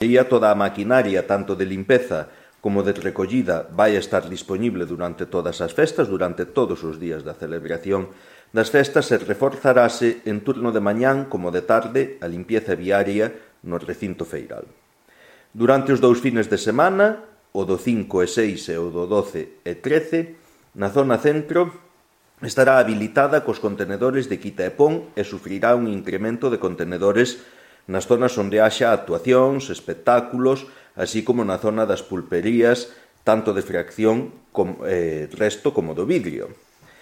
Toda a maquinaria, tanto de limpeza como de recollida, vai estar disponible durante todas as festas, durante todos os días da celebración das festas, e reforzarase en turno de mañán como de tarde a limpieza viaria no recinto feiral. Durante os 2 fines de semana, o do 5 e 6 e o do 12 e 13, na zona centro estará habilitada cos contenedores de quita e pon e sufrirá un incremento de contenedores nas zonas onde haxa actuacións, espectáculos, así como na zona das pulperías, tanto de fracción como resto como do vidrio.